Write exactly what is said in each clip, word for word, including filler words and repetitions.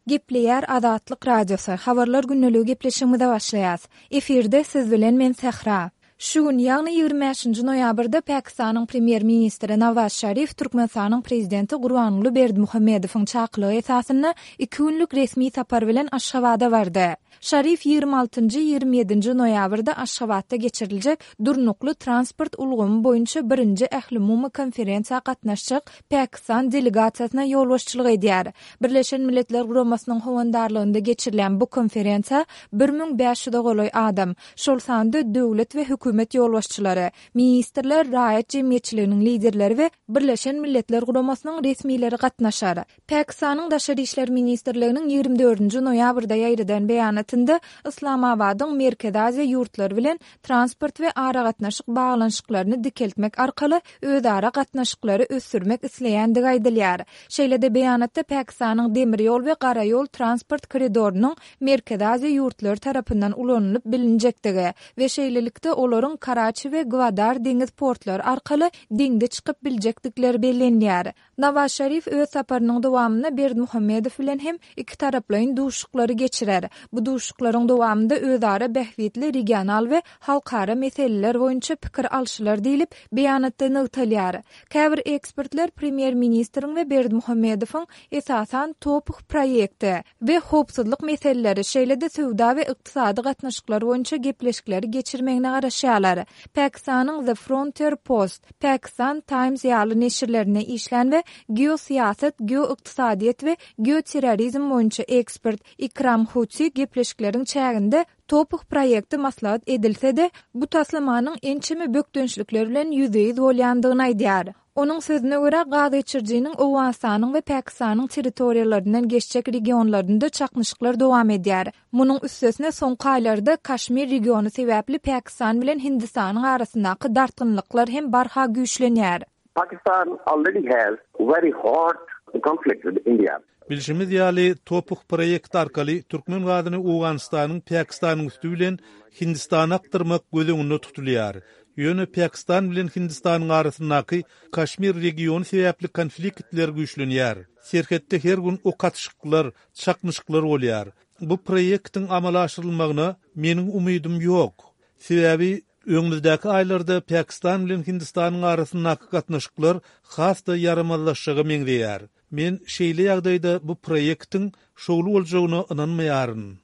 Gepleýär Azatlyk Radiosy, Habarlar gündeligi gepleşigimize başlaýas. Efirde siz bilen men Sähra. Şu gün, ýagny ýigrimi bäşinji noýabrda Pakistanyň Premýer-ministri Nawaz Şarif Türkmenistanyň Prezidenti Gurbanguly Berdimuhamedowyň çakylygy esasynda iki günlük resmi sapar bilen Aşgabada bardy. Şarif ýigrimi altynjy, ýigrimi ýedinji noýabrda Aşgabatda geçiriljek Durnukly transport ulgamy boýunça birinji ählumumy konferensiýa gatnaşjak Pakistan delegasiýasyna ýolbaşçylyk edýär. Birleşen Milletler Guramasynyň howandarlygynda geçirilýän bu konferensiýa bir müň bäş ýüze golaý adam, şol sanda döwlet we hökümet ýolbaşçylary, ministrler, raýat jemgyýetçiliginiň liderleri we Birleşen Milletler Guramasynyň resmileri gatnaşar. Pakistanyň Daşary işler ministrliginiň ýigrimi dördünji noýabrda ýaýradan beýanatynda Yslamabadyň Merkezi Aziýa ýurtlary bilen transport we aragatnaşyk baglanyşyklaryny dikeltmek arkaly özara gatnaşyklary ösdürmek isleýändigi aýdylýar. Şeýle-de beýanatda Pakistanyň demir ýol we gara ýol transport koridorynyň Merkezi Aziýa ýurtlary tarapyndan ulanylyp bilinjekdigi we şeýlelikde olaryň Karaçi we Gwadar deňiz portlary arkaly deňze çykyp biljekdikleri bellenilýär. Nawaz Şarif öz saparynyň dowamynda Berdimuhamedow bilen hem ikitaraplaýyn duşuşyklary geçirer. Bu duşuşyklaryň dowamynda özara bähbitli regional we halkara meseleler boýunça pikir alşylar diýlip, beýanatda nygtalýar. Käbir ekspertler premýer-ministriň we Berdimuhamedowyň esasan TOPH proýekti we howpsuzlyk meseleleri, şeýle-de söwda we ykdysady gatnaşyklar boýunça gepleşikleri geçirmegine garaşýarlar. Pakistanyň The Frontier Post, Pakistan Times ýaly neşirlerinde işlän we geosyýasat, geoykdysadyýet we geoterrorizm boýunça ekspert Ikram Huti gepleşikleriň çäginde TOPH proýekti maslahat edilse-de, bu taslamanyň ençeme bökdençlikler bilen ýüzbe-ýüz bolýandygyny aýdýar. Onuň sözüne görä, gaz geçirijiniň Owganystanyň we Pakistanyň territoriýalaryndan geçjek regionlarynda çaknyşyklar dowam edýär. Munuň üstesine, soňky aýlarda Kaşmir regiony sebäpli Pakistan bilen Hindistanyň arasyndaky dartgynlyklar hem barha güýçlenýär. Pakistan already has very hot conflict with India. Bilşimiz ýaly, TOPH proýekti arkaly türkmen gazyny Owganystanyň Pakistanyň üsti bilen Hindistana akdyrmak göz öňünde tutulýar. Ýöne Pakistan bilen Hindistanyň arasyndaky Kaşmir regiony sebäpli konfliktler güýçlenýär. Serhetde her gün ok atyşyklar, çaknyşyklar bolýar. Bu proýektiň amala aşyrylmagyna meniň umydym ýok. Sebäbi öňümizdäki aýlarda Pakistan bilen Hindistanyň arasyndaky gatnaşyklar has-da ýaramazlaşjaga meňzeýär. Men şeýle ýagdaýda bu proýektiň şowly boljagyna ynanmaýaryn.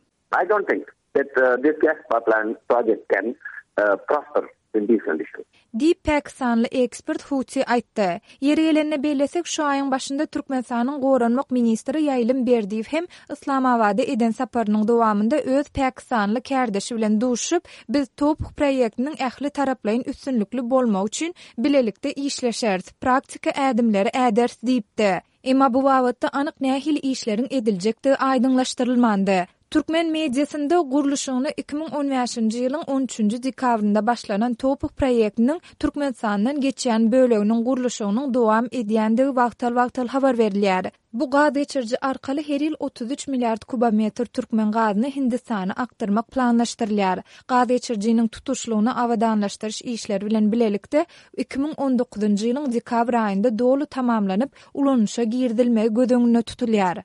I don't think that this gas pipeline project can prosper in these conditions. Diýip, pakistanly ekspert Huti aýtdy. Ýeri gelende bellesek, şu aýyň başynda Türkmenistanyň goranmak ministri Ýaýlym Berdiýew hem Yslamabada eden saparynyň dowamynda öz pakistanly kärdeşi bilen duşuşyp, Biz TOPH proýektiniň ähli taraplaýyn üstünlikli bolmagy üçin bilelikde işleşeris, praktiki ädimleri äderis diýipdi. Emma bu babatda anyk nähili işleriň ediljekdigi aýdyňlaşdyrylmandy. Türkmen mediasynda gurluşygyna iki müň on bäşinji ýylyň on üçünji dekabrynda başlanan TOPH proýektiniň Türkmenistandan geçýän böleginiň gurluşygynyň dowam edýändigi wagtal-wagtal habar berilýär. Bu gaz geçiriji arkaly her ýyl otuz üç milliard kubometr türkmen gazyny Hindistana akdyrmak planlaşdyrylýar. Gaz geçirijiniň tutuşlygyna abadanlaşdyryş işleri bilen bilelikde iki müň on dokuzynjy ýylyň dekabr aýynda doly tamamlanyp, ulanyşa girizilmegi göz öňünde tutulýar.